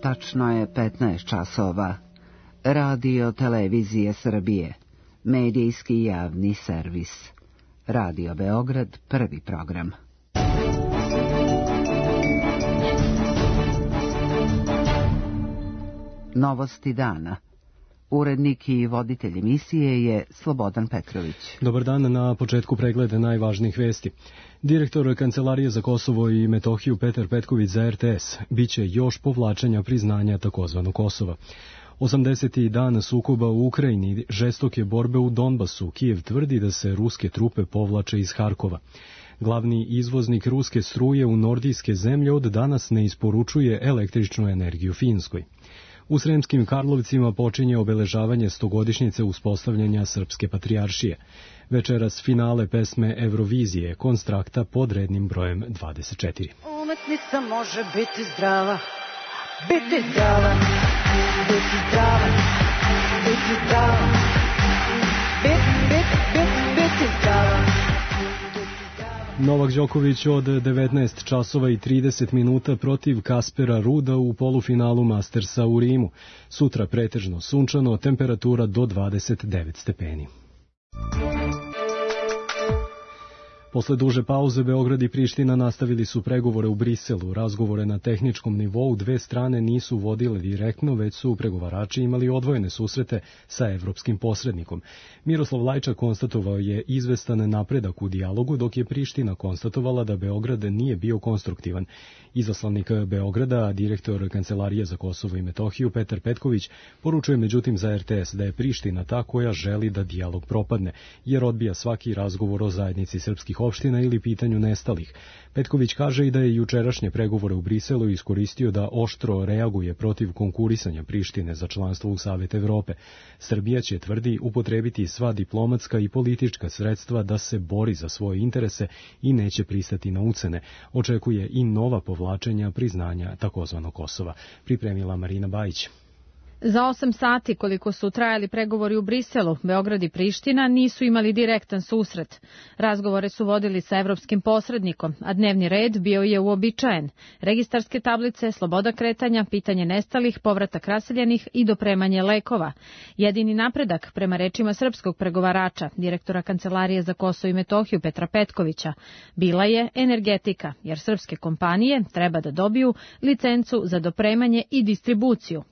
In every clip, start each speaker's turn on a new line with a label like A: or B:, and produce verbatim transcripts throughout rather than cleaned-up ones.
A: Tačno je petnaest časova. Radio Televizije Srbije. Medijski javni servis. Radio Beograd, prvi program. Novosti dana. Urednik i voditelj emisije je Slobodan Petrović.
B: Dobar dan, na početku pregleda najvažnijih vesti. Direktor Kancelarije za Kosovo i Metohiju Petar Petković za R T S. Biće još povlačenja priznanja takozvanog Kosova. osamdeseti dan sukoba u Ukrajini, žestoke borbe u Donbasu. Kijev tvrdi da se ruske trupe povlače iz Harkova. Glavni izvoznik ruske struje u nordijske zemlje od danas ne isporučuje električnu energiju Finskoj. U Sremskim Karlovcima počinje obeležavanje stogodišnjice uspostavljanja Srpske patrijaršije. Večeras finale pesme Eurovizije, Konstrakta pod rednim brojem dvadeset četiri.
C: Umetnica može biti zdrava, biti zdrava, biti zdrava, biti zdrava, biti, biti, biti, biti zdrava.
B: Novak Đoković od devetnaest časova i trideset minuta protiv Kaspera Ruda u polufinalu Mastersa u Rimu. Sutra pretežno sunčano, temperatura do dvadeset devet stepeni. Posle duže pauze, Beograd i Priština nastavili su pregovore u Briselu. Razgovore na tehničkom nivou dve strane nisu vodile direktno, već su pregovarači imali odvojene susrete sa evropskim posrednikom. Miroslav Lajčak konstatovao je izvestan napredak u dijalogu, dok je Priština konstatovala da Beograd nije bio konstruktivan. Izaslanik Beograda, direktor Kancelarije za Kosovo i Metohiju Petar Petković, poručuje međutim za R T S da je Priština ta koja želi da dijalog propadne, jer odbija svaki razgovor o zajednici srpskih opština ili pitanju nestalih. Petković kaže i da je jučerašnje pregovore u Briselu iskoristio da oštro reaguje protiv konkurisanja Prištine za članstvo u Savet Evrope. Srbija će, tvrdi, upotrebiti sva diplomatska i politička sredstva da se bori za svoje interese i neće pristati na ucene. Očekuje i nova povlačenja priznanja takozvanog Kosova. Pripremila Marina Bajić.
D: Za osam sati koliko su trajali pregovori u Briselu, Beograd i Priština nisu imali direktan susret. Razgovore su vodili sa evropskim posrednikom, a dnevni red bio je uobičajen. Registarske tablice, sloboda kretanja, pitanje nestalih, povratak raseljenih i dopremanje lekova. Jedini napredak, prema rečima srpskog pregovarača, direktora Kancelarije za Kosovo i Metohiju Petra Petkovića, bila je energetika, jer srpske kompanije treba da dobiju licencu za dopremanje i distribuciju.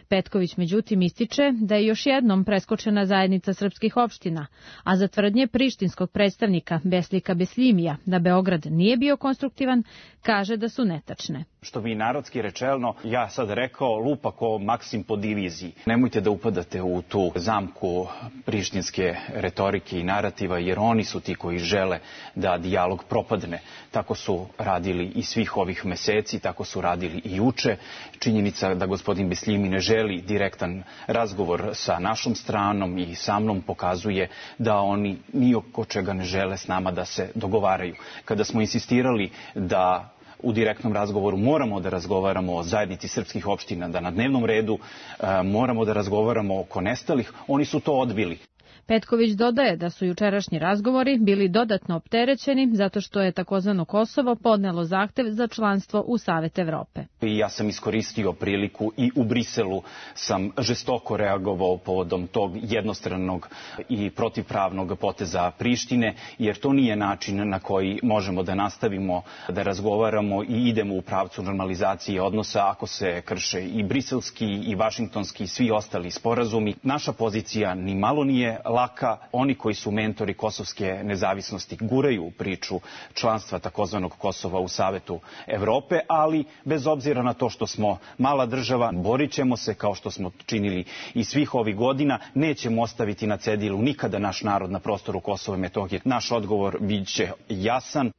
D: Petković međutim ističe da je još jednom preskočena zajednica srpskih opština, a za tvrdnje prištinskog predstavnika Beslika Besljimija da Beograd nije bio konstruktivan, kaže da su netačne.
E: Što bi narodski rečeno, ja sad rekao, lupa ko Maksim po diviziji. Nemojte da upadate u tu zamku prištinske retorike i narativa, jer oni su ti koji žele da dijalog propadne. Tako su radili i svih ovih meseci, tako su radili i juče. Činjenica da gospodin Besljimi ne želi direktan razgovor sa našom stranom i sa mnom pokazuje da oni ni oko čega ne žele s nama da se dogovaraju. Kada smo insistirali da u direktnom razgovoru moramo da razgovaramo o zajednici srpskih opština, da na dnevnom redu e, moramo da razgovaramo oko nestalih, oni su to odbili.
D: Petković dodaje da su jučerašnji razgovori bili dodatno opterećeni zato što je takozvano Kosovo podnelo zahtev za članstvo u Savet Evrope.
E: I ja sam iskoristio priliku i u Briselu sam žestoko reagovao povodom tog jednostranog i protivpravnog poteza Prištine, jer to nije način na koji možemo da nastavimo da razgovaramo i idemo u pravcu normalizacije odnosa ako se krše i briselski i vašingtonski i svi ostali sporazumi. Naša pozicija ni malo nije laka. Oni koji su mentori kosovske nezavisnosti guraju priču članstva takozvanog Kosova u Savetu Evrope, ali bez obzira na to što smo mala država, borit ćemo se kao što smo činili i svih ovih godina, nećemo ostaviti na cedilu nikada naš narod na prostoru Kosova i Metohije. Naš odgovor bit će jasan.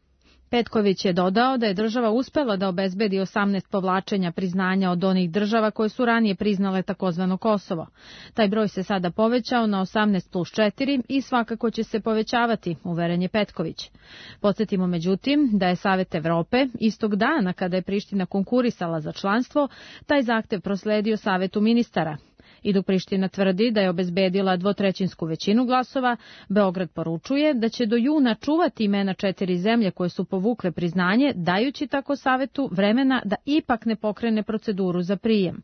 D: Petković je dodao da je država uspela da obezbedi osamnaest povlačenja priznanja od onih država koje su ranije priznale takozvano Kosovo. Taj broj se sada povećao na osamnaest plus četiri i svakako će se povećavati, uveren je Petković. Podsjetimo međutim da je Savet Evrope istog dana kada je Priština konkurisala za članstvo, taj zahtev prosledio Savetu ministara. I dok Priština tvrdi da je obezbedila dvotrećinsku većinu glasova, Beograd poručuje da će do juna čuvati imena četiri zemlje koje su povukle priznanje, dajući tako Savetu vremena da ipak ne pokrene proceduru za prijem.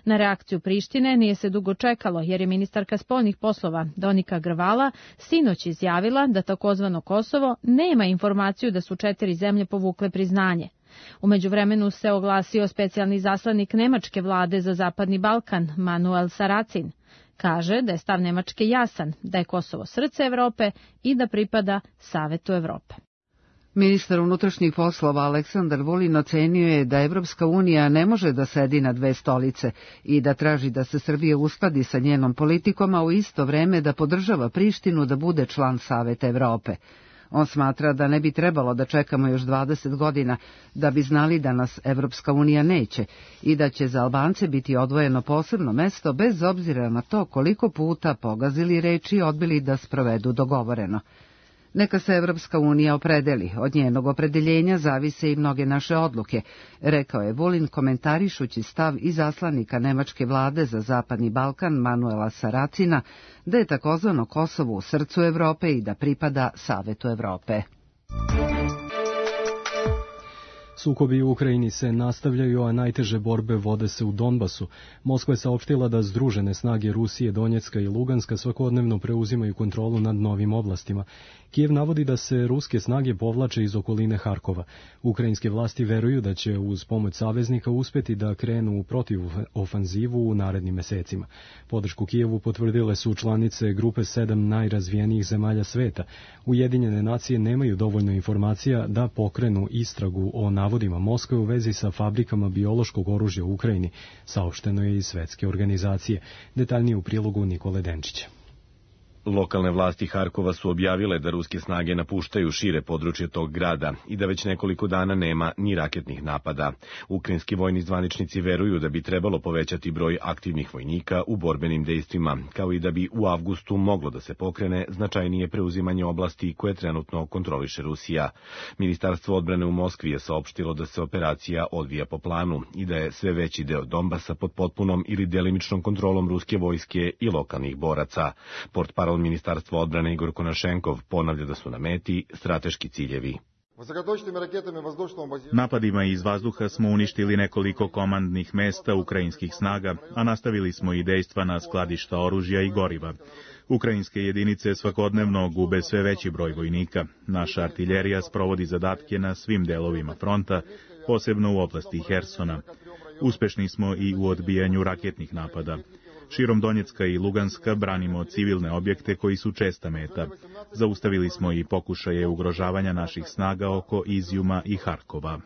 D: Na reakciju Prištine nije se dugo čekalo, jer je ministarka spoljnih poslova Donika Grvala sinoć izjavila da takozvano Kosovo nema informaciju da su četiri zemlje povukle priznanje. U međuvremenu se oglasio specijalni zaslanik nemačke vlade za Zapadni Balkan, Manuel Saracin. Kaže da je stav Nemačke jasan, da je Kosovo srce Evrope i da pripada Savetu Evrope.
A: Ministar unutrašnjih poslova Aleksandar Vulin ocenio je da Evropska unija ne može da sedi na dve stolice i da traži da se Srbija uskladi sa njenom politikom, a u isto vreme da podržava Prištinu da bude član Saveta Evrope. On smatra da ne bi trebalo da čekamo još dvadeset godina da bi znali da nas Evropska unija neće i da će za Albance biti odvojeno posebno mesto bez obzira na to koliko puta pogazili reči i odbili da sprovedu dogovoreno. Neka se Evropska unija opredeli, od njenog opredeljenja zavise i mnoge naše odluke, rekao je Vulin komentarišući stav izaslanika nemačke vlade za Zapadni Balkan Manuela Saracina da je takozvano Kosovo u srcu Evrope i da pripada Savetu Evrope.
B: Sukobi u Ukrajini se nastavljaju, a najteže borbe vode se u Donbasu. Moskva je saopštila da združene snage Rusije, Donjecka i Luganska svakodnevno preuzimaju kontrolu nad novim oblastima. Kijev navodi da se ruske snage povlače iz okoline Harkova. Ukrajinske vlasti veruju da će uz pomoć saveznika uspeti da krenu u protivofanzivu u narednim mesecima. Podršku Kijevu potvrdile su članice grupe sedam najrazvijenijih zemalja sveta. Ujedinjene nacije nemaju dovoljno informacija da pokrenu istragu o navodima Moskve u vezi sa fabrikama biološkog oružja u Ukrajini, saopšteno je iz Svetske organizacije. Detaljnije u prilogu Nikole Denčića.
F: Lokalne vlasti Harkova su objavile da ruske snage napuštaju šire područje tog grada i da već nekoliko dana nema ni raketnih napada. Ukrajinski vojni zvaničnici veruju da bi trebalo povećati broj aktivnih vojnika u borbenim dejstvima, kao i da bi u avgustu moglo da se pokrene značajnije preuzimanje oblasti koje trenutno kontroliše Rusija. Ministarstvo odbrane u Moskvi je saopštilo da se operacija odvija po planu i da je sve veći deo Donbasa pod potpunom ili delimičnom kontrolom ruske vojske i lokalnih boraca. Portparol Ministarstva odbrane Igor Konašenkov ponavlja da su na meti strateški ciljevi.
G: Napadima iz vazduha smo uništili nekoliko komandnih mesta ukrajinskih snaga, a nastavili smo i dejstva na skladišta oružja i goriva. Ukrajinske jedinice svakodnevno gube sve veći broj vojnika. Naša artiljerija sprovodi zadatke na svim delovima fronta, posebno u oblasti Hersona. Uspešni smo i u odbijanju raketnih napada. Širom Donjecka i Luganska branimo civilne objekte koji su česta meta. Zaustavili smo i pokušaje ugrožavanja naših snaga oko Izjuma i Harkova.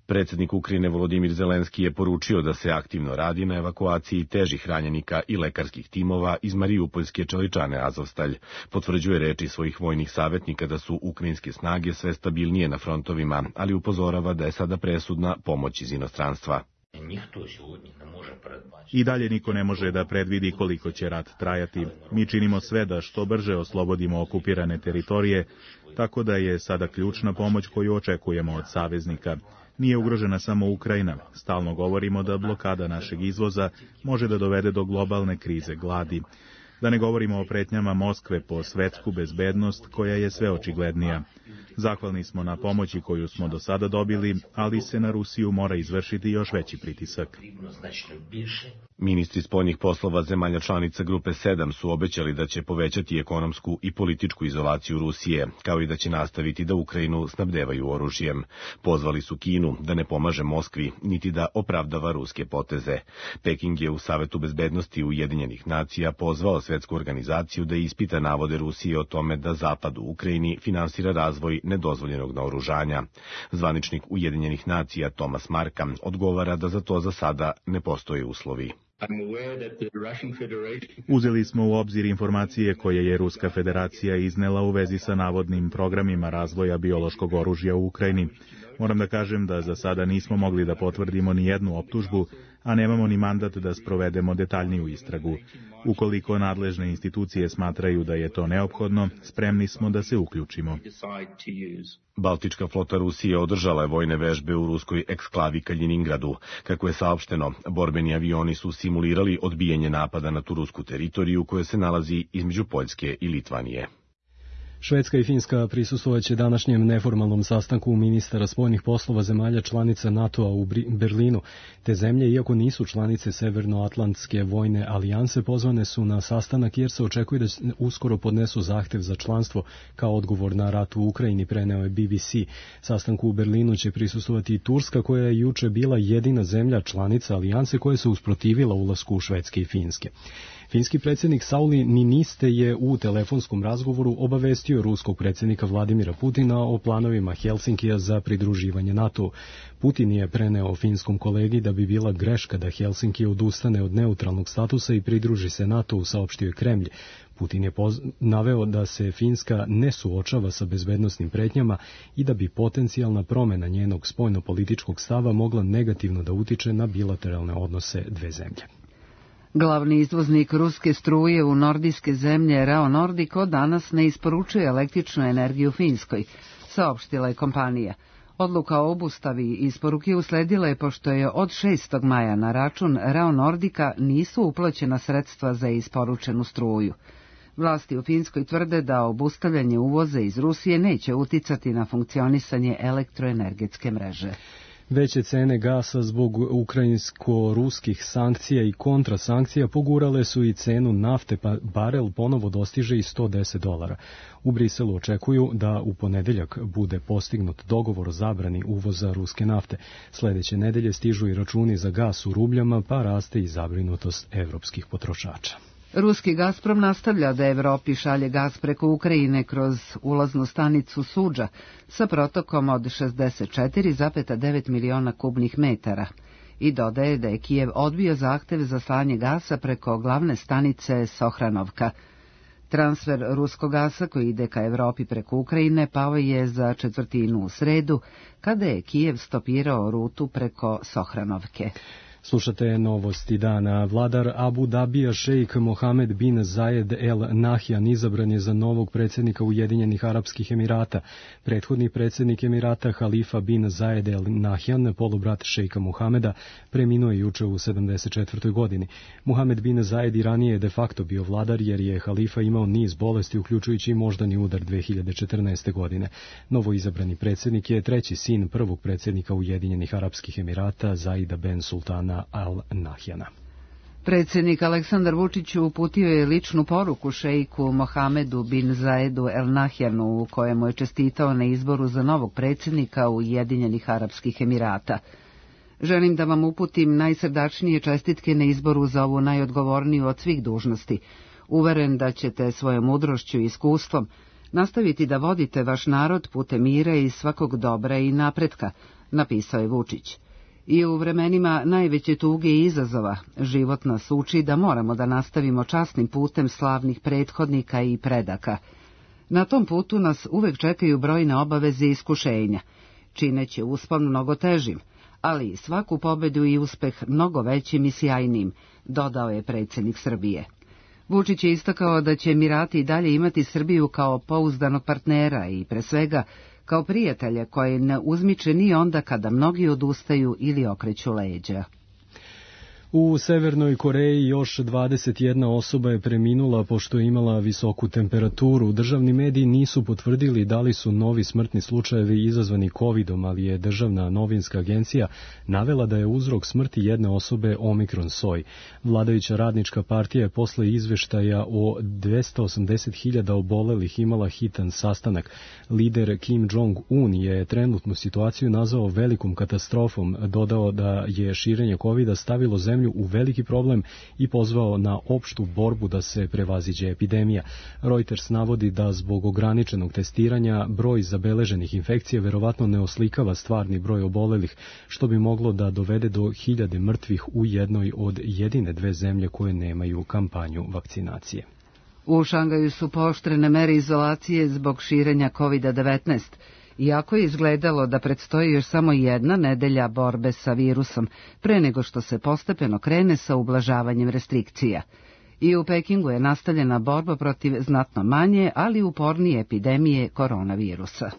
F: Predsjednik Ukrajine Volodimir Zelenski je poručio da se aktivno radi na evakuaciji težih ranjenika i lekarskih timova iz Mariupoljske čeličane Azovstalj. Potvrđuje reči svojih vojnih savjetnika da su ukrajinske snage sve stabilnije na frontovima, ali upozorava da je sada presudna pomoć iz inostranstva.
G: I dalje niko ne može da predvidi koliko će rat trajati. Mi činimo sve da što brže oslobodimo okupirane teritorije, tako da je sada ključna pomoć koju očekujemo od saveznika. Nije ugrožena samo Ukrajina. Stalno govorimo da blokada našeg izvoza može da dovede do globalne krize gladi. Da ne govorimo o pretnjama Moskve po svetsku bezbednost koja je sve očiglednija. Zahvalni smo na pomoći koju smo do sada dobili, ali se na Rusiju mora izvršiti još veći pritisak.
F: Ministri spoljnih poslova zemalja članica grupe sedam su obećali da će povećati ekonomsku i političku izolaciju Rusije, kao i da će nastaviti da Ukrajinu snabdevaju oružjem. Pozvali su Kinu da ne pomaže Moskvi, niti da opravdava ruske poteze. Peking je u Savetu bezbednosti Ujedinjenih nacija pozvao svetsku organizaciju da ispita navode Rusije o tome da Zapad u Ukrajini finansira razvoj nedozvoljenog naoružanja. Zvaničnik Ujedinjenih nacija Thomas Marka odgovara da za to za sada ne postoje uslovi.
G: Uzeli smo u obzir informacije koje je Ruska federacija iznela u vezi sa navodnim programima razvoja biološkog oružja u Ukrajini. Moram da kažem da za sada nismo mogli da potvrdimo ni jednu optužbu, a nemamo ni mandat da sprovedemo detaljniju istragu. Ukoliko nadležne institucije smatraju da je to neophodno, spremni smo da se uključimo.
F: Baltička flota Rusije održala je vojne vežbe u ruskoj eksklavi Kaliningradu. Kako je saopšteno, borbeni avioni su simulirali odbijanje napada na tu rusku teritoriju koja se nalazi između Poljske i Litvanije.
B: Švedska i Finska prisustvovaće današnjem neformalnom sastanku ministara spoljnih poslova zemalja članica NATO-a u Berlinu. Te zemlje, iako nisu članice Severnoatlantske vojne alijanse, pozvane su na sastanak jer se očekuje da uskoro podnesu zahtev za članstvo kao odgovor na rat u Ukrajini, preneo je B B C. Sastanku u Berlinu će prisustvovati i Turska, koja je juče bila jedina zemlja članica alijanse koja se usprotivila ulasku Švedske i Finske. Finski predsjednik Sauli Niinistö je u telefonskom razgovoru obavestio ruskog predsjednika Vladimira Putina o planovima Helsinkija za pridruživanje NATO. Putin je preneo finskom kolegi da bi bila greška da Helsinki odustane od neutralnog statusa i pridruži se NATO-u, saopštio je Kremlj. Putin je naveo da se Finska ne suočava sa bezbednosnim pretnjama i da bi potencijalna promjena njenog spoljnopolitičkog stava mogla negativno da utiče na bilateralne odnose dve zemlje.
A: Glavni izvoznik ruske struje u nordijske zemlje Rao Nordic od danas ne isporučuje električnu energiju Finskoj, saopštila je kompanija. Odluka o obustavi isporuke usledila je pošto je od šestog maja na račun Rao Nordica nisu uplaćena sredstva za isporučenu struju. Vlasti u Finskoj tvrde da obustavljanje uvoza iz Rusije neće uticati na funkcionisanje elektroenergetske mreže.
B: Veće cene gasa zbog ukrajinsko-ruskih sankcija i kontrasankcija pogurale su i cenu nafte, pa barel ponovo dostiže i sto deset dolara. U Briselu očekuju da u ponedeljak bude postignut dogovor o zabrani uvoza ruske nafte. Sljedeće nedelje stižu i računi za gas u rubljama, pa raste i zabrinutost evropskih potrošača.
A: Ruski Gazprom nastavlja da Evropi šalje gas preko Ukrajine kroz ulaznu stanicu Suđa sa protokom od šezdeset četiri zarez devet miliona kubnih metara i dodaje da je Kijev odbio zahtev za slanje gasa preko glavne stanice Sohranovka. Transfer ruskog gasa koji ide ka Evropi preko Ukrajine pao je za četvrtinu u sredu, kada je Kijev stopirao rutu preko Sohranovke.
B: Slušate novosti dana. Vladar Abu Dabija šejk Mohamed bin Zayed El Nahyan izabran je za novog predsjednika Ujedinjenih Arapskih Emirata. Prethodni predsjednik Emirata Halifa bin Zayed El Nahyan, polubrat šejka Mohameda, preminuo je juče u sedamdeset četvrtoj godini. Mohamed bin Zayed i ranije je de facto bio vladar jer je Halifa imao niz bolesti, uključujući i moždani udar dve hiljade četrnaeste. godine. Novo izabrani predsjednik je treći sin prvog predsjednika Ujedinjenih Arapskih Emirata Zaida ben Sultana Al Nahyana.
A: Predsjednik Aleksandar Vučić uputio je ličnu poruku šejku Mohamedu bin Zaedu El Nahyanu u kojemu je čestitao na izboru za novog predsjednika Ujedinjenih Arapskih Emirata. Želim da vam uputim najsrdačnije čestitke na izboru za ovu najodgovorniju od svih dužnosti. Uveren da ćete svojom mudrošću i iskustvom nastaviti da vodite vaš narod putem mira i svakog dobra i napretka, napisao je Vučić. I u vremenima najveće tuge i izazova život nas uči da moramo da nastavimo časnim putem slavnih prethodnika i predaka. Na tom putu nas uvek čekaju brojne obaveze i iskušenja, čineći uspon mnogo težim, ali i svaku pobedu i uspeh mnogo većim i sjajnim, dodao je predsjednik Srbije. Vučić je istakao da će Emirati i dalje imati Srbiju kao pouzdanog partnera i pre svega kao prijatelja koji ne uzmiče ni onda kada mnogi odustaju ili okreću leđa.
B: U Severnoj Koreji još dvadeset jedna osoba je preminula pošto je imala visoku temperaturu. Državni mediji nisu potvrdili da li su novi smrtni slučajevi izazvani kovidom, ali je državna novinska agencija navela da je uzrok smrti jedne osobe omikron soj. Vladajuća radnička partija je posle izveštaja o dvesta osamdeset hiljada obolelih imala hitan sastanak. Lider Kim Jong-un je trenutnu situaciju nazvao velikom katastrofom, dodao da je širenje kovida stavilo zemlju u veliki problem i pozvao na opštu borbu da se prevaziđe epidemija. Reuters navodi da zbog ograničenog testiranja broj zabeleženih infekcija verovatno ne oslikava stvarni broj obolelih, što bi moglo da dovede do hiljade mrtvih u jednoj od jedine dve zemlje koje nemaju kampanju vakcinacije.
A: U Šangaju su pooštrene mere izolacije zbog širenja kovida devetnaest. Iako je izgledalo da predstoji još samo jedna nedelja borbe sa virusom, pre nego što se postepeno krene sa ublažavanjem restrikcija. I u Pekingu je nastavljena borba protiv znatno manje, ali upornije epidemije koronavirusa.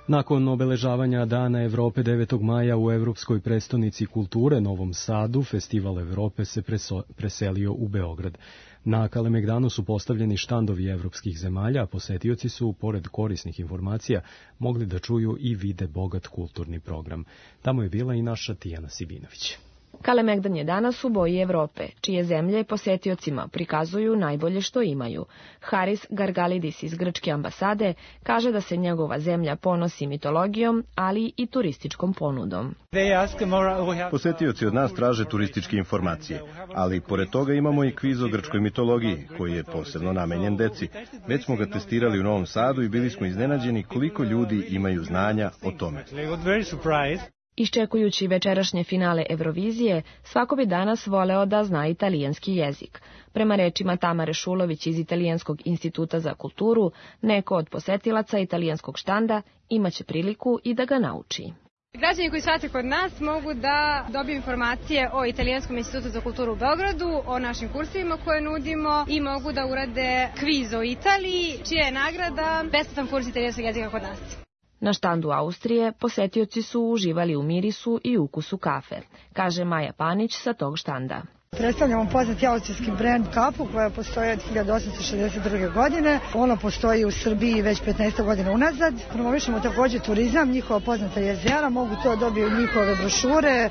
B: Nakon obeležavanja Dana Evrope devetog maja u Evropskoj prestonici kulture Novom Sadu, Festival Evrope se preso, preselio u Beograd. Na Kalemegdanu su postavljeni štandovi evropskih zemalja, a posetioci su, pored korisnih informacija, mogli da čuju i vide bogat kulturni program. Tamo je bila i naša Tijana Sibinović.
H: Kalemegdan je danas u boji Evrope, čije zemlje posetiocima prikazuju najbolje što imaju. Haris Gargalidis iz grčke ambasade kaže da se njegova zemlja ponosi mitologijom, ali i turističkom ponudom.
I: Posetioci od nas traže turističke informacije, ali pored toga imamo i kviz o grčkoj mitologiji, koji je posebno namenjen deci. Već smo ga testirali u Novom Sadu i bili smo iznenađeni koliko ljudi imaju znanja o tome.
H: Iščekujući večerašnje finale Eurovizije, svako bi danas voleo da zna italijanski jezik. Prema rečima Tamare Šulović iz Italijanskog instituta za kulturu, neko od posetilaca italijanskog štanda imaće priliku i da ga nauči.
J: Građani koji shvate kod nas mogu da dobiju informacije o Italijanskom institutu za kulturu u Beogradu, o našim kursevima koje nudimo i mogu da urade kviz o Italiji, čija je nagrada besplatan kurs italijanskog jezika kod nas.
H: Na štandu Austrije posetioci su uživali u mirisu i ukusu kafe, kaže Maja Panić sa tog štanda.
K: Predstavljamo poznati austrijski brend kafu koja postoji od hiljadu osamsto šezdeset druge. godine. Ona postoji u Srbiji već petnaest godina unazad. Promovišemo također turizam, njihova poznata jezera, mogu to dobiti njihove brošure,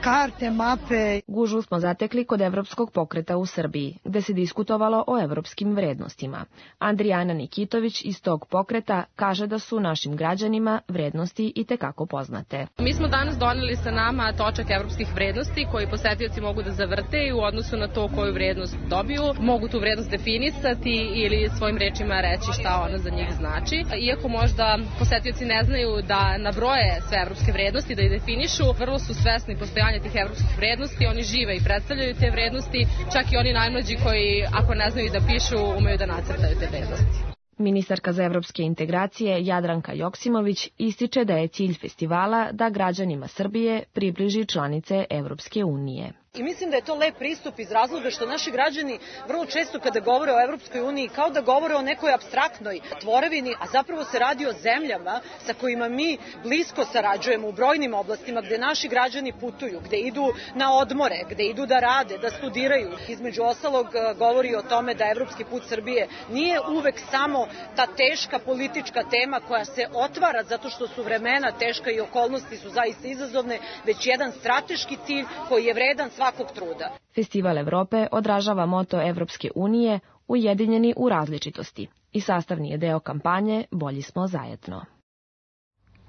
K: karte, mape.
H: Gužvu smo zatekli kod Evropskog pokreta u Srbiji, gde se diskutovalo o evropskim vrednostima. Andrijana Nikitović iz tog pokreta kaže da su našim građanima vrednosti i tekako poznate.
L: Mi smo danas doneli sa nama točak evropskih vrednosti koji posetioci mogu da zavrte u odnosu na to koju vrednost dobiju, mogu tu vrednost definisati ili svojim rečima reći šta ona za njih znači. Iako možda posetioci ne znaju da nabroje sve evropske vrednosti, da ih definišu, vrlo su svesni postojanja tih evropskih vrednosti, oni žive i predstavljaju te vrednosti, čak i oni najmlađi koji, ako ne znaju da pišu, umeju da nacrtaju te vrednosti.
H: Ministarka za evropske integracije Jadranka Joksimović ističe da je cilj festivala da građanima Srbije približi članice Evropske unije.
M: I mislim da je to lep pristup iz razloga što naši građani vrlo često kada govore o Evropskoj uniji kao da govore o nekoj apstraktnoj tvorevini, a zapravo se radi o zemljama sa kojima mi blisko sarađujemo u brojnim oblastima gde naši građani putuju, gde idu na odmore, gde idu da rade, da studiraju. Između ostalog govori o tome da evropski put Srbije nije uvek samo ta teška politička tema koja se otvara zato što su vremena teška i okolnosti su zaista izazovne, već jedan strateški cilj koji je vredan svakog truda.
H: Festival Evrope odražava moto Evropske unije ujedinjeni u različitosti i sastavni je deo kampanje Bolji smo zajedno.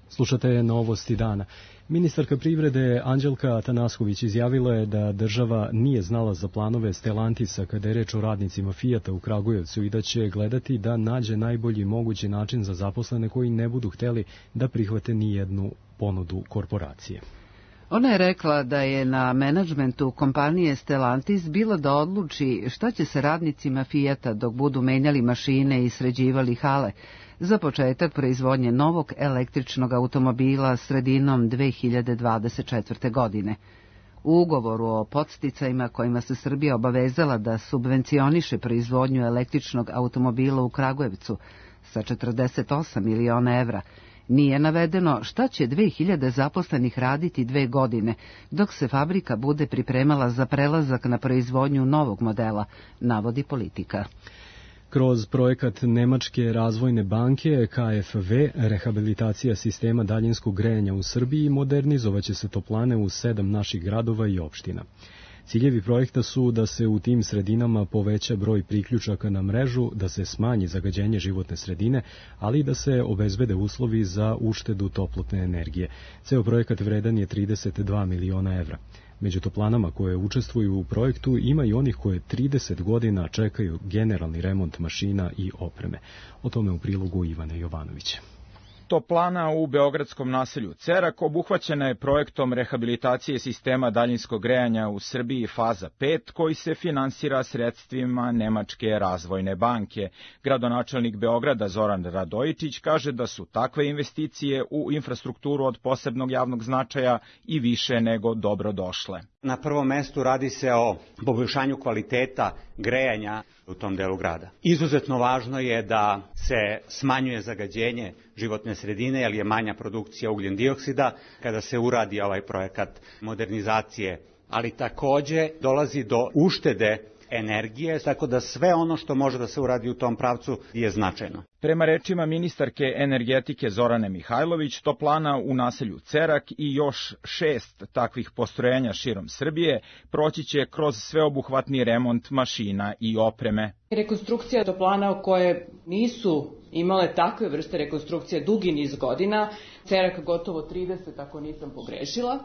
B: Slušate Novosti dana. Ministarka privrede Anđelka Atanasković izjavila je da država nije znala za planove Stellantisa kada je reč o radnicima Fijata u Kragujevcu i da će gledati da nađe najbolji mogući način za zaposlene koji ne budu hteli da prihvate ni jednu ponudu korporacije.
A: Ona je rekla da je na menadžmentu kompanije Stellantis bilo da odluči šta će se radnicima Fijata dok budu menjali mašine i sređivali hale za početak proizvodnje novog električnog automobila sredinom dve hiljade dvadeset četvrte. godine. U ugovoru o podsticajima kojima se Srbija obavezala da subvencioniše proizvodnju električnog automobila u Kragujevcu sa četrdeset osam miliona evra, nije navedeno šta će dve hiljade zaposlenih raditi dve godine, dok se fabrika bude pripremala za prelazak na proizvodnju novog modela, navodi Politika.
B: Kroz projekat Nemačke razvojne banke K F V, rehabilitacija sistema daljinskog grejanja u Srbiji, modernizovaće se toplane u sedam naših gradova i opština. Ciljevi projekta su da se u tim sredinama poveća broj priključaka na mrežu, da se smanji zagađenje životne sredine, ali i da se obezbede uslovi za uštedu toplotne energije. Ceo projekat vredan je trideset dva miliona evra. Među toplanama koje učestvuju u projektu ima i onih koje trideset godina čekaju generalni remont mašina i opreme. O tome u prilogu Ivana Jovanovića.
N: Toplana u beogradskom naselju Cerak obuhvaćena je projektom rehabilitacije sistema daljinskog grejanja u Srbiji faza pet, koji se finansira sredstvima Nemačke razvojne banke. Gradonačelnik Beograda Zoran Radojičić kaže da su takve investicije u infrastrukturu od posebnog javnog značaja i više nego dobro došle.
O: Na prvom mestu radi se o poboljšanju kvaliteta grejanja u tom delu grada. Izuzetno važno je da se smanjuje zagađenje životne sredine, jer je manja produkcija ugljen dioksida kada se uradi ovaj projekat modernizacije, ali takođe dolazi do uštede energije, tako da sve ono što može da se uradi u tom pravcu je značajno.
N: Prema rečima ministarke energetike Zorane Mihajlović, toplana u naselju Cerak i još šest takvih postrojenja širom Srbije proći će kroz sveobuhvatni remont mašina i opreme.
P: Rekonstrukcija toplana koje nisu imale takve vrste rekonstrukcije dugi niz godina, Cerak gotovo trideset ako nisam pogrešila,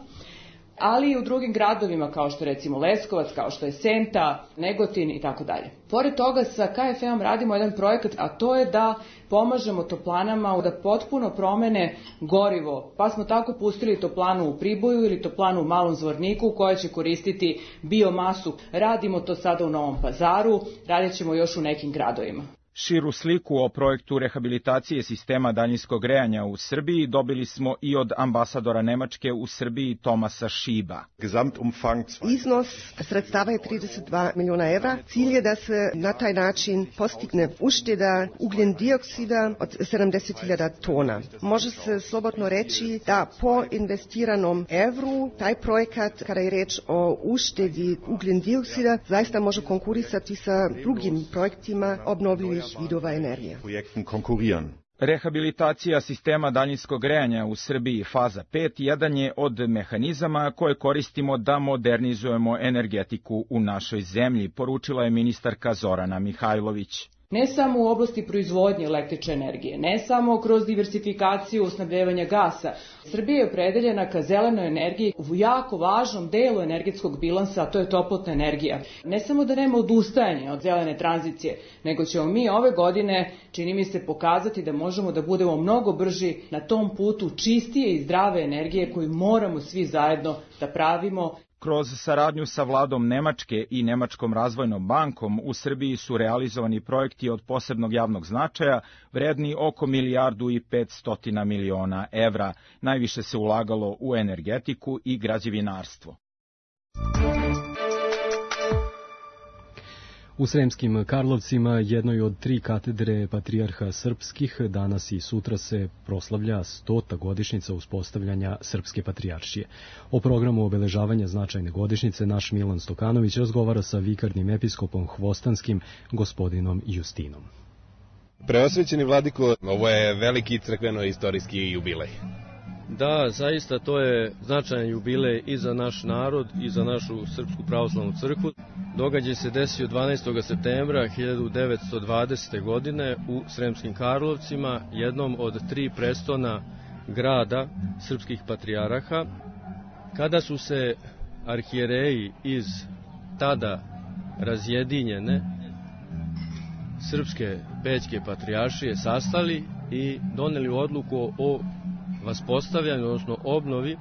P: ali i u drugim gradovima kao što je recimo Leskovac, kao što je Senta, Negotin i tako dalje. Pored toga sa K F E-om radimo jedan projekat, a to je da pomažemo toplanama da potpuno promene gorivo, pa smo tako pustili toplanu u Priboju ili toplanu u Malom Zvorniku koja će koristiti biomasu. Radimo to sada u Novom Pazaru, radit ćemo još u nekim gradovima.
N: Širu sliku o projektu rehabilitacije sistema daljinskog grejanja u Srbiji dobili smo i od ambasadora Nemačke u Srbiji Tomasa Šiba.
Q: Iznos sredstava je trideset dva miliona evra. Cilj je da se na taj način postigne ušteda ugljen dioksida od sedamdeset hiljada tona. Može se slobodno reći da po investiranom evru taj projekat, kada je reč o uštedi ugljen dioksida, zaista može konkurisati sa drugim projektima obnovljivih vidova energije.
N: Rehabilitacija sistema daljinskog grejanja u Srbiji faza pet jedan je od mehanizama koje koristimo da modernizujemo energetiku u našoj zemlji, poručila je ministarka Zorana Mihajlović.
P: Ne samo u oblasti proizvodnje električne energije, ne samo kroz diversifikaciju snabdevanja gasa. Srbija je opredeljena ka zelenoj energiji u jako važnom delu energetskog bilansa, a to je toplotna energija. Ne samo da nema odustajanja od zelene tranzicije, nego ćemo mi ove godine, čini mi se, pokazati da možemo da budemo mnogo brži na tom putu čistije i zdrave energije koju moramo svi zajedno da pravimo.
N: Kroz saradnju sa vladom Nemačke i Nemačkom razvojnom bankom u Srbiji su realizovani projekti od posebnog javnog značaja, vredni oko milijardu i petstotina miliona evra. Najviše se ulagalo u energetiku i građevinarstvo.
B: U Sremskim Karlovcima, jednoj od tri katedre patrijarha srpskih, danas i sutra se proslavlja stota godišnjica uspostavljanja Srpske patrijaršije. O programu obeležavanja značajne godišnjice naš Milan Stokanović razgovara sa vikarnim episkopom Hvostanskim, gospodinom Justinom.
R: Preosvećeni vladiko, ovo je veliki crkveno-istorijski jubilej.
S: Da, zaista to je značajan jubilej i za naš narod i za našu Srpsku pravoslavnu crkvu. Događaj se desio dvanaestog septembra hiljadu devetsto dvadesete. godine u Sremskim Karlovcima, jednom od tri prestona grada srpskih patrijaraha, kada su se arhijereji iz tada razjedinjene Srpske Pećke patrijaršije sastali i doneli odluku o vaspostavljanju, odnosno obnovi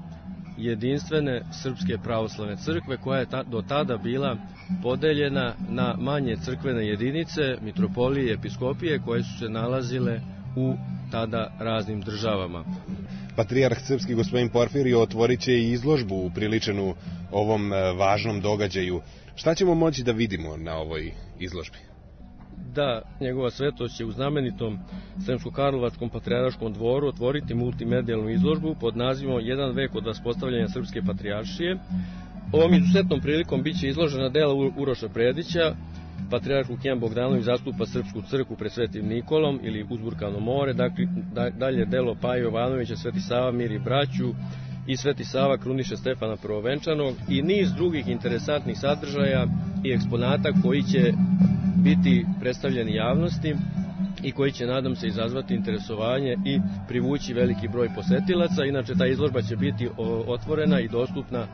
S: jedinstvene Srpske pravoslavne crkve, koja je ta, do tada bila podeljena na manje crkvene jedinice, mitropolije i episkopije, koje su se nalazile u tada raznim državama.
R: Patrijarh srpski gospodin Porfirije otvorit će i izložbu upriličenu ovom važnom događaju. Šta ćemo moći da vidimo na ovoj izložbi?
S: Da, njegova svetost će u znamenitom Sremsko-Karlovačkom patrijarškom dvoru otvoriti multimedijalnu izložbu pod nazivom Jedan vek od vaspostavljanja Srpske patrijaršije. Ovom izuzetnom prilikom biće izložena dela Uroša Predića. Patrijarh Lukijan Bogdanović zastupa Srpsku crkvu pred Svetim Nikolom ili Uzburkano more, dakle, dalje delo Paje Jovanovića, Sveti Sava miri braću i Sveti Sava kruniše Stefana Prvovenčanog i niz drugih interesantnih sadržaja i eksponata koji će biti predstavljeni javnosti i koji će, nadam se, izazvati interesovanje i privući veliki broj posetilaca. Inače, ta izložba će biti otvorena i dostupna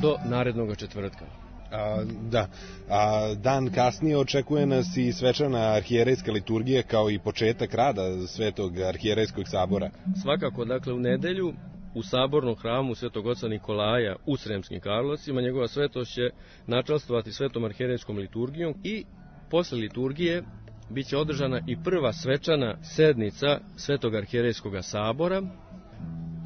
S: do narednog četvrtka.
R: A, da, a dan kasnije očekuje nas i svečana arhijerejska liturgija kao i početak rada Svetog arhijerejskog sabora.
S: Svakako, dakle, u nedelju u sabornom hramu Svetog oca Nikolaja u Sremskim Karlovcima njegova svetost će načastvovati Svetom arhijerejskom liturgijom i posle liturgije biće održana i prva svečana sednica Svetog arhijerejskog sabora,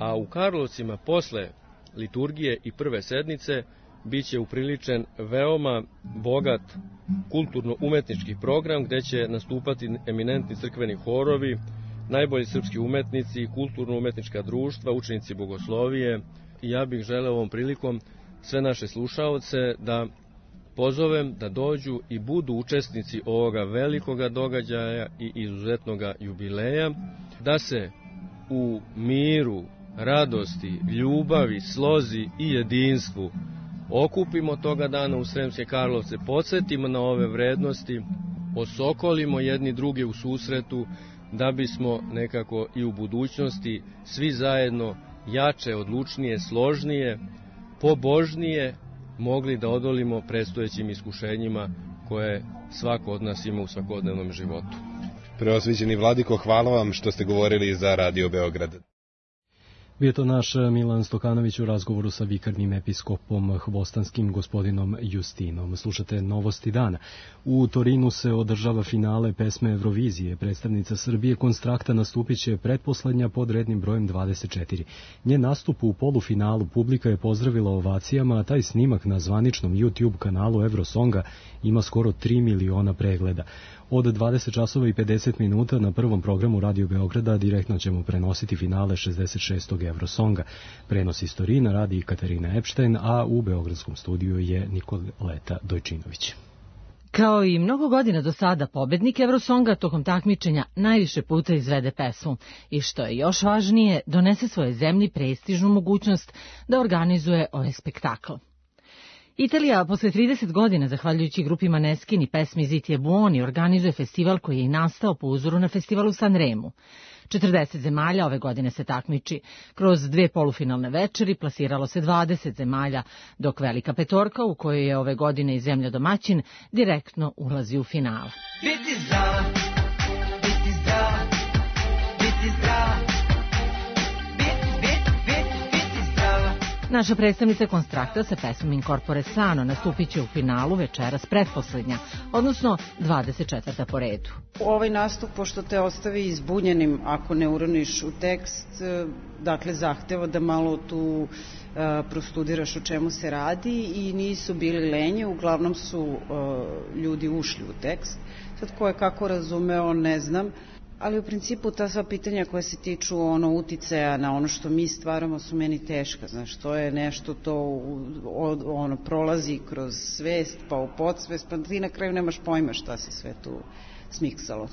S: a u Karlovcima posle liturgije i prve sednice biće upriličen veoma bogat kulturno-umetnički program gde će nastupati eminentni crkveni horovi, najbolji srpski umetnici, kulturno-umetnička društva, učenici bogoslovije. I ja bih želeo ovom prilikom sve naše slušaoce da pozovem da dođu i budu učesnici ovoga velikoga događaja i izuzetnoga jubileja, da se u miru, radosti, ljubavi, slozi i jedinstvu okupimo toga dana u Sremske Karlovce, podsjetimo na ove vrednosti, osokolimo jedni druge u susretu, da bismo nekako i u budućnosti svi zajedno jače, odlučnije, složnije, pobožnije mogli da odolimo predstojećim iskušenjima koje svako od nas ima u svakodnevnom životu.
R: Preosviđeni Vladiko, hvala vam što ste govorili za Radio Beograd.
B: Bio to naš Milan Stokanović u razgovoru sa vikarnim episkopom hvostanskim gospodinom Justinom. Slušate Novosti dana. U Torinu se održava finale pesme Eurovizije. Predstavnica Srbije Konstrakta nastupit će pretposlednja pod rednim brojem dvadeset četiri. Njen nastup u polufinalu publika je pozdravila ovacijama, a taj snimak na zvaničnom YouTube kanalu Eurosonga ima skoro tri miliona pregleda. Od dvadeset časova i pedeset minuta na prvom programu Radio Beograda direktno ćemo prenositi finale šezdeset šestog Eurosonga. Prenos iz Torina radi Katarina Epštajn, a u beogradskom studiju je Nikoleta Dojčinović.
T: Kao i mnogo godina do sada, pobednik Eurosonga tokom takmičenja najviše puta izvede pesmu i, što je još važnije, donese svoje zemlji prestižnu mogućnost da organizuje ovaj spektakl. Italija posle trideset godina, zahvaljujući grupi Maneskin i pesmi Ziti e buoni, organizuje festival koji je i nastao po uzoru na festival u Sanremu. četrdeset zemalja ove godine se takmiči. Kroz dve polufinalne večeri plasiralo se dvadeset zemalja, dok velika petorka, u kojoj je ove godine i zemlja domaćin, direktno ulazi u finale.
C: Biti zdrava, biti zdrava, biti zdrava, biti, biti, biti, biti zdrava.
T: Naša predstavnica Konstrakta sa pesmom Incorpore Sano nastupit će u finalu večeras pretposlednja, odnosno dvadeset četvrta po redu.
U: Ovaj nastup, pošto te ostavi izbunjenim ako ne uroniš u tekst, dakle zahteva da malo tu uh, prostudiraš o čemu se radi i nisu bili lenje, uglavnom su uh, ljudi ušli u tekst. Sad ko je kako razumeo, ne znam. Ali u principu ta sva pitanja koja se tiču ono uticaja na ono što mi stvaramo su meni teška, znaš, to je nešto to ono prolazi kroz svest pa u podsvest, pa ti na kraju nemaš pojma šta se sve tu smiksalo.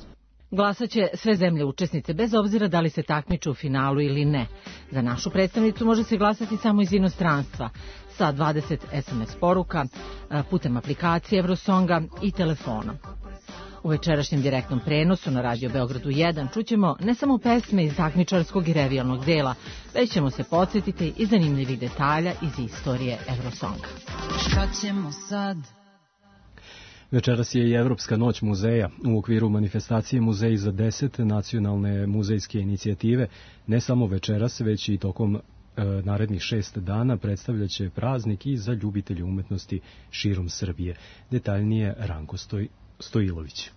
T: Glasaće sve zemlje učesnice bez obzira da li se takmiče u finalu ili ne. Za našu predstavnicu može se glasati samo iz inostranstva sa dvadeset es em es poruka, putem aplikacije Eurosonga i telefonom. U večerašnjem direktnom prenosu na Radio Beogradu jedan čućemo ne samo pesme iz takmičarskog i revijalnog dela, već ćemo se podsjetiti i zanimljivih detalja iz istorije Eurosonga.
C: Šta ćemo sad?
B: Večeras je i Evropska noć muzeja. U okviru manifestacije Muzeji za deset nacionalne muzejske inicijative ne samo večeras, već i tokom e, narednih šest dana predstavljaće praznik i za ljubitelje umetnosti širom Srbije. Detaljnije Ranko Stoj, Stojilović.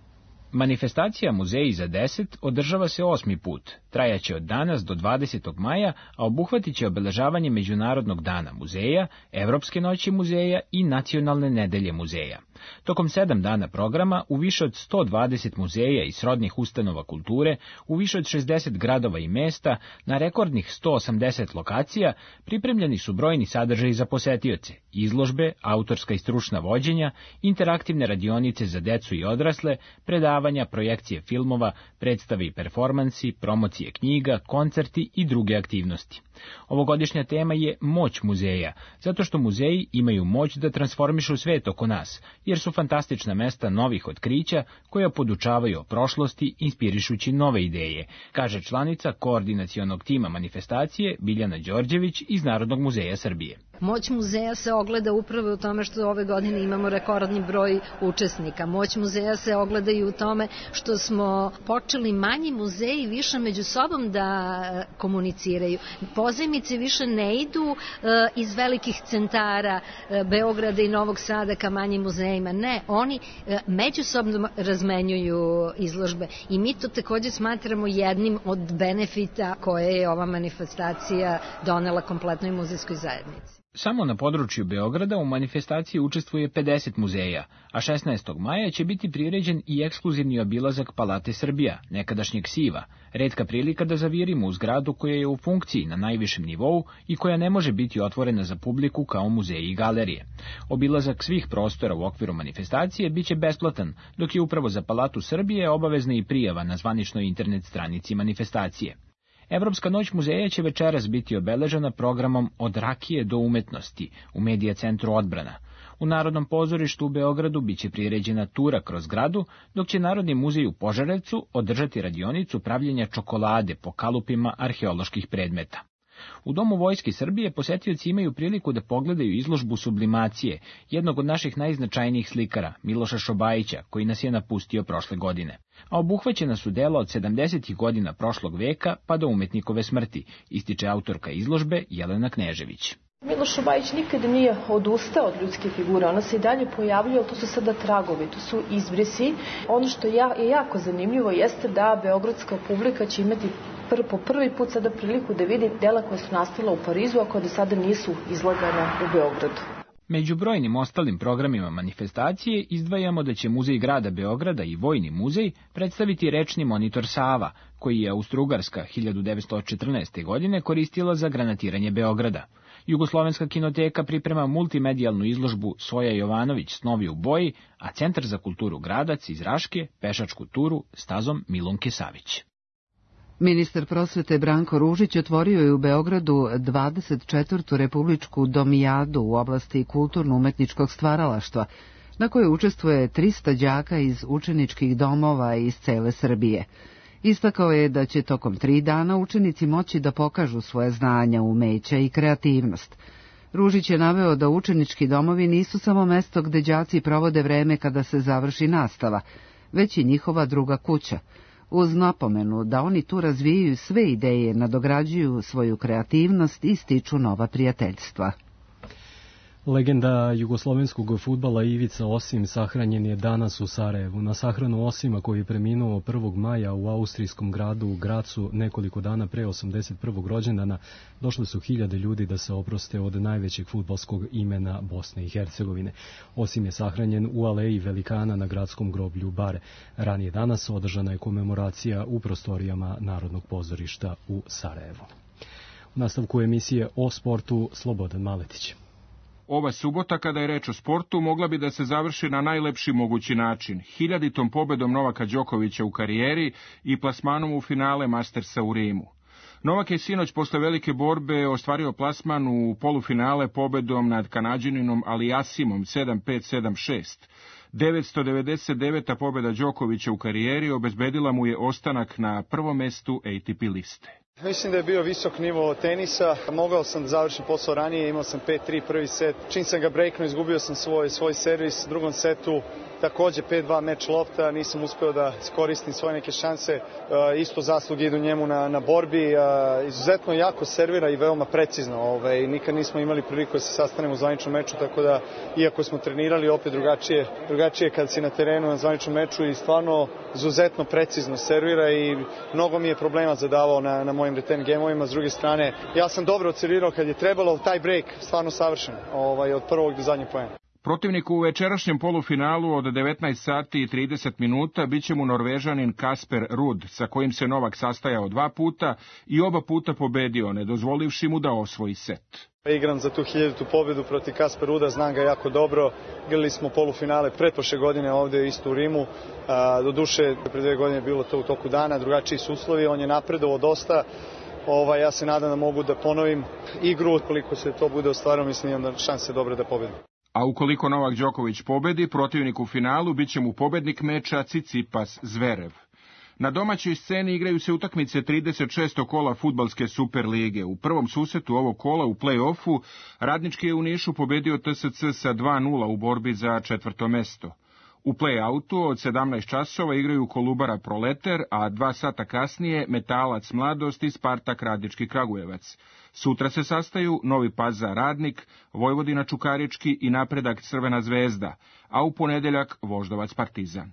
V: Manifestacija Muzeji za deset održava se osmi put, trajaće od danas do dvadesetog maja, a obuhvatit će obeležavanje Međunarodnog dana muzeja, Evropske noći muzeja i Nacionalne nedelje muzeja. Tokom sedam dana programa u više od sto dvadeset muzeja i srodnih ustanova kulture, u više od šezdeset gradova i mesta, na rekordnih sto osamdeset lokacija, pripremljeni su brojni sadržaji za posetioce, izložbe, autorska i stručna vođenja, interaktivne radionice za decu i odrasle, predavanja, projekcije filmova, predstave i performansi, promocije knjiga, koncerti i druge aktivnosti. Ovogodišnja tema je moć muzeja, zato što muzeji imaju moć da transformišu svet oko nas, jer su fantastična mesta novih otkrića koja podučavaju o prošlosti, inspirišući nove ideje, kaže članica koordinacionog tima manifestacije Biljana Đorđević iz Narodnog muzeja Srbije.
W: Moć muzeja se ogleda upravo u tome što ove godine imamo rekordni broj učesnika. Moć muzeja se ogleda i u tome što smo počeli manji muzeji više među sobom da komuniciraju. Pozajmice više ne idu iz velikih centara Beograda i Novog Sada ka manjim muzejima. Ne, oni međusobno razmenjuju izložbe i mi to također smatramo jednim od benefita koje je ova manifestacija donela kompletnoj muzejskoj zajednici.
V: Samo na području Beograda u manifestaciji učestvuje pedeset muzeja, a šesnaestog maja će biti priređen i ekskluzivni obilazak Palate Srbija, nekadašnjeg Siva, retka prilika da zavirimo u zgradu koja je u funkciji na najvišem nivou i koja ne može biti otvorena za publiku kao muzeji i galerije. Obilazak svih prostora u okviru manifestacije biće besplatan, dok je upravo za Palatu Srbije obavezna i prijava na zvaničnoj internet stranici manifestacije. Evropska noć muzeja će večeras biti obeležena programom Od rakije do umetnosti u Medija centru Odbrana. U Narodnom pozorištu u Beogradu biće priređena tura kroz gradu, dok će Narodni muzej u Požarevcu održati radionicu pravljenja čokolade po kalupima arheoloških predmeta. U Domu Vojske Srbije posetioci imaju priliku da pogledaju izložbu sublimacije jednog od naših najznačajnijih slikara, Miloša Šobajića, koji nas je napustio prošle godine. A obuhvaćena su dela od sedamdesetih godina prošlog veka pa do umetnikove smrti, ističe autorka izložbe Jelena Knežević.
D: Miloš Šobajić nikada nije odustao od ljudske figure, ona se i dalje pojavljuje, ali to su sada tragovi, to su izbrisi. Ono što je jako zanimljivo jeste da beogradska publika će imati pr po prvi put sada priliku da vidi dela koja su nastala u Parizu, a koja do sada nisu izlagana u Beogradu.
V: Među brojnim ostalim programima manifestacije izdvajamo da će Muzej grada Beograda i Vojni muzej predstaviti rečni monitor Sava, koji je Austro-Ugarska hiljadu devetsto četrnaeste. godine koristila za granatiranje Beograda. Jugoslovenska kinoteka priprema multimedijalnu izložbu Soja Jovanović Snovi u boji, a Centar za kulturu Gradac iz Raške pešačku turu stazom Milunke Savić.
A: Ministar prosvete Branko Ružić otvorio je u Beogradu dvadeset četvrtu republičku domijadu u oblasti kulturno-umetničkog stvaralaštva, na kojoj učestvuje trista đaka iz učeničkih domova iz cele Srbije. Istakao je da će tokom tri dana učenici moći da pokažu svoje znanja, umeća i kreativnost. Ružić je naveo da učenički domovi nisu samo mesto gde đaci provode vreme kada se završi nastava, već i njihova druga kuća, uz napomenu da oni tu razvijaju sve ideje, nadograđuju svoju kreativnost i stiču nova prijateljstva.
B: Legenda jugoslovenskog fudbala Ivica Osim sahranjen je danas u Sarajevu. Na sahranu Osima, koji je preminuo prvog maja u austrijskom gradu u Gracu nekoliko dana pre osamdeset prvog rođendana, došle su hiljade ljudi da se oproste od najvećeg fudbalskog imena Bosne i Hercegovine. Osim je sahranjen u aleji velikana na gradskom groblju Bare. Ranije danas održana je komemoracija u prostorijama Narodnog pozorišta u Sarajevu. U nastavku emisije o sportu Slobodan Maletić.
E: Ova subota, kada je reč o sportu, mogla bi da se završi na najlepši mogući način, hiljaditom pobedom Novaka Đokovića u karijeri i plasmanom u finale Mastersa u Rimu. Novak je sinoć posle velike borbe ostvario plasman u polufinale pobedom nad Kanađaninom Aliasimom sedam pet sedam šest. devetsto devedeset deveta pobeda Đokovića u karijeri obezbedila mu je ostanak na prvom mestu A T P liste.
G: Mislim da je bio visok nivo tenisa, mogao sam da završim posao ranije, imao sam pet tri prvi set, čim sam ga breaknuo izgubio sam svoj, svoj servis, u drugom setu takođe pet dva meč lopta, nisam uspeo da iskoristim svoje neke šanse, isto zasluge idu njemu na, na borbi, izuzetno jako servira i veoma precizno, ovaj, nikad nismo imali priliku da se sastanemo u zvaničnom meču, tako da iako smo trenirali opet drugačije, drugačije kad si na terenu na zvaničnom meču i stvarno izuzetno precizno servira i mnogo mi je problema zadavao na, na mojim return gameovima. S druge strane, ja sam dobro odservirao kad je trebalo, taj break stvarno savršen, ovaj, od prvog do zadnjeg poena.
E: Protivniku u večerašnjem polufinalu od devetnaest sati i trideset minuta biće mu Norvežanin Kasper Ruud, sa kojim se Novak sastajao dva puta i oba puta pobedio, ne dozvolivši mu da osvoji set.
G: Igram za tu hiljaditu pobedu protiv Kasper Ruuda, znam ga jako dobro. Igrali smo polufinale pretprošle godine ovde isto u Rimu. Do duše, pre dve godine je bilo to u toku dana, drugačiji su uslovi, on je napredovao dosta. Ovaj, ja se nadam da mogu da ponovim igru, koliko se to bude ostvarilo, mislim da šanse dobre da pobedim.
E: A ukoliko Novak Đoković pobedi, protivnik u finalu biće mu pobednik meča Tsitsipas Zverev. Na domaćoj sceni igraju se utakmice trideset šestog kola fudbalske Super lige. U prvom susetu ovog kola u play-offu Radnički je u Nišu pobedio T S C sa dva nula u borbi za četvrto mesto. U play-outu od sedamnaest časova igraju Kolubara Proleter, a dva sata kasnije Metalac Mladost i Spartak Radnički Kragujevac. Sutra se sastaju Novi Pazar Radnik, Vojvodina Čukarički i Napredak Crvena zvezda, a u ponedeljak Voždovac Partizan.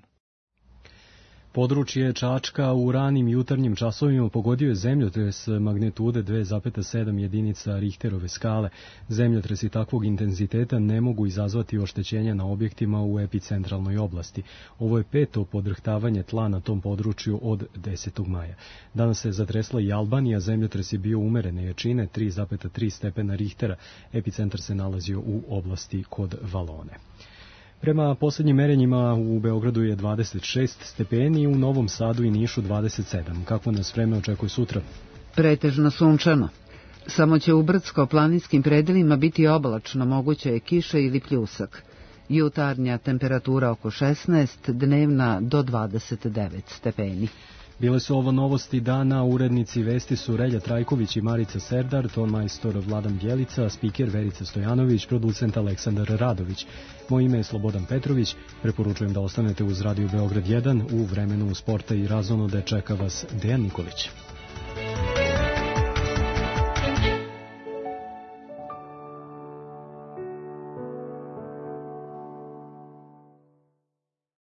B: Područje Čačka u ranim jutarnjim časovima pogodio je zemljotres magnitude dve zarez sedam jedinica Richterove skale. Zemljotresi takvog intenziteta ne mogu izazvati oštećenja na objektima u epicentralnoj oblasti. Ovo je peto podrhtavanje tla na tom području od desetog maja. Danas se zatresla i Albanija, zemljotres je bio umerene jačine tri zarez tri stepena Richtera. Epicentar se nalazio u oblasti kod Valone. Prema posljednjim merenjima u Beogradu je dvadeset šest stepeni, u Novom Sadu i Nišu dvadeset sedam. Kako nas vreme očekuje sutra?
A: Pretežno sunčano. Samo će u brdsko-planinskim predelima biti oblačno, moguće je kiša ili pljusak. Jutarnja temperatura oko šesnaest, dnevna do dvadeset devet stepeni.
B: Bile su ovo novosti dana, urednici vesti su Relja Trajković i Marica Serdar, ton majstor Vladan Bjelica, spiker Verica Stojanović, producent Aleksandar Radović. Moje ime je Slobodan Petrović, preporučujem da ostanete uz Radio Beograd jedan, u vremenu sporta i razonode čeka vas Dejan Nikolić.